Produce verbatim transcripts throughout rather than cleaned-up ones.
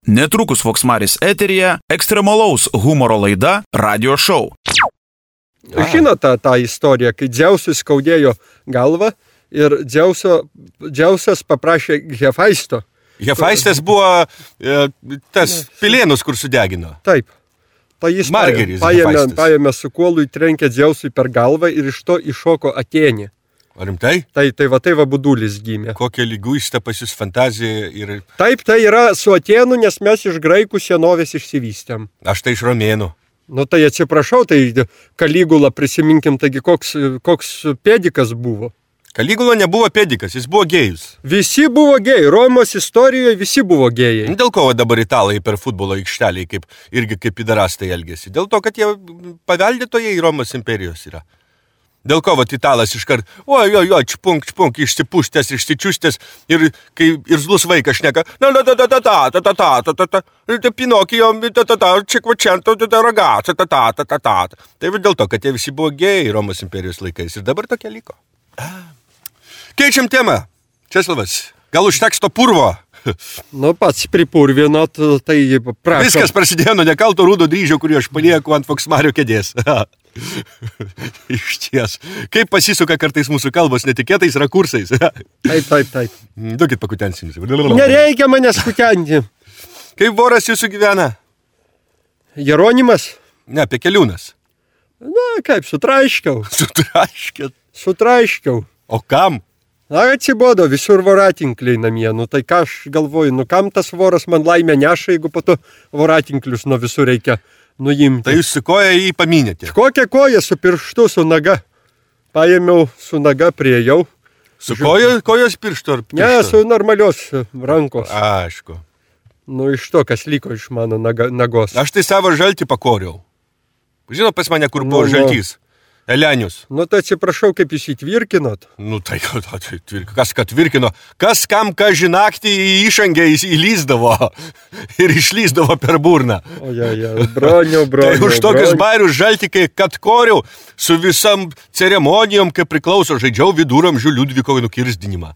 Netrukus Voksmaris eteryje ekstremalaus humoro laida Radio Show. Žinote tą, tą istoriją, kai Dzeusui skaudėjo galvą ir Dzeuso, Dzeusas paprašė Hefaisto. Hefaistas buvo e, tas pilėnus, kur sudegino. Taip. Tai jis Margeris paėmė, paėmė su kuolu, įtrenkė Dzeusui per galvą ir iš to iššoko Atėnė. Ar rimtai? Tai, tai va, tai va budulis gimė. Kokia lyguista pas jūs fantazija ir... Taip, tai yra su Atėnu, nes mes iš graikų senovės išsivystėm. Aš tai iš romėnų. Nu tai atsiprašau, tai Kaligula prisiminkim, taigi koks, koks pėdikas buvo. Kaligula nebuvo pėdikas, jis buvo gėjus. Visi buvo gėjai, Romos istorijoje visi buvo gėjai. Dėl ko dabar italai per futbolo aikštelį kaip, irgi kaip pidarastai elgėsi? Dėl to, kad jie paveldėtojai Romos imperijos yra. Dėl ko vat italas iškart, oi, oi, oi, čpunk, čpunk, išsipuštęs, išsičiustęs ir kai irzlus vaikas šneka, na, na, ta, ta, ta, ta, ta, ta, ta, ta, ta, ta, Pinokijo, ta, ta, ta, čekvačento, ta, ta, ragazza, ta, ta, ta, ta, ta. Tai dėl to, kad jie visi buvo gėjai Romos imperijos laikais ir dabar tokia liko. Keičiam temą. Česlavas, gal užteks to purvo? Nu, pats pripurvinot, tai prašom. Viskas prasidėjo nuo nekalto rūdo dryžio, kurį aš palieku ant Voksmario kėdės. Iš ties. Kaip pasisuka kartais mūsų kalbos netikėtais rakursais. Taip, taip, taip. Duokit pakutensinis. Nereikia manęs kutenti. Kaip voras jūsų gyvena? Jeronimas? Ne, Pekeliūnas. Na, kaip, sutraiškiau. Sutraiškėt? Sutraiškiau. O kam? Na, atsibodo, visur voratinkliai namie. Nu, tai ką aš galvoju, nu kam tas voras man laimę neša, jeigu po to voratinklius nuo visur reikia nuimti. Tai jūs su koja jį paminėte? Kokią koją su pirštu, su naga? Paėmiau su naga, priejau. Su koja, kojos pirštu ar pirštu? Ne, su normalios rankos. Aišku. Nu, iš to, kas liko iš mano naga, nagos. Aš tai savo žaltį pakoriau. Žinot pas mane, kur buvo Nu, nu. žaltys? Elenius. Nu, tai atsiprašau, kaip jūs įtvirkinot. Nu, tai, tai, tai kas kad tvirkino, kas kam ką žinaktį į išangę įlyzdavo ir išlyzdavo per burną. O, ja, ja, broniau, broniau. Tai už tokius bairius žaltikai, kad koriau su visam ceremonijom, kaip priklauso, žaidžiau viduramžių Liudvikovai nukirsdinimą.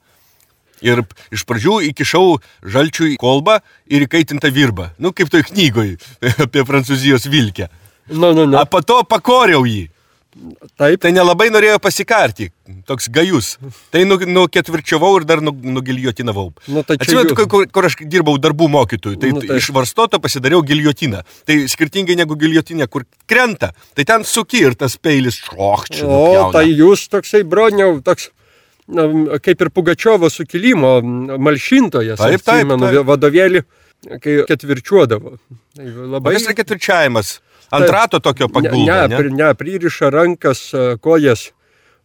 Ir iš pradžių įkišau žalčių į kolbą ir įkaitintą virbą. Nu, kaip toj knygoj apie Prancūzijos vilkę. Nu, nu, nu. A po to pakoriau jį. Taip. Tai nelabai norėjo pasikarti, toks gajus. Tai nu, nu ketvirčiavau ir dar nu, nugiljotinavau. Nu, tai Atsimenu, jūs... kur, kur aš dirbau darbų mokytojų, tai, Nu, tai tai- iš varstoto pasidariau giljotiną. Tai skirtingai negu giljotinė, kur krenta, tai ten suki ir tas peilis šokčia. O, tai jūs toksai, broniau, toks, na, kaip ir Pugačiovo sukilimo malšintojas. Taip, taip, atsimenu, taip. Vadovėlį, kai ketvirčiuodavo. Tai labai... Kokias yra ketvirčiavimas? Ant rato tokio paguldo, ne? Ne, ne, pririša rankas, kojas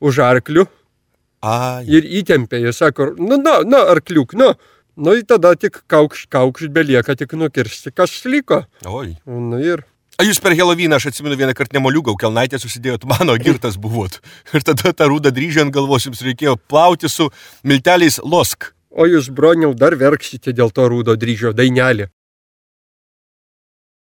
už arklių Ai. ir įtempė. Jis sako, nu, na, na, arkliuk, nu. Nu, ir tada tik kaukš, kaukš belieka tik nukirsti, kas liko. Oi. Nu, ir... A jūs per Helovyną, aš atsimenu vieną kartą nemoliugau, kelnaitę susidėjot, mano girtas buvot. Ir tada tą rūdą dryžį ant galvos jums reikėjo plauti su milteliais losk. O jūs, broniau, dar verksite dėl to rūdo dryžio dainelį.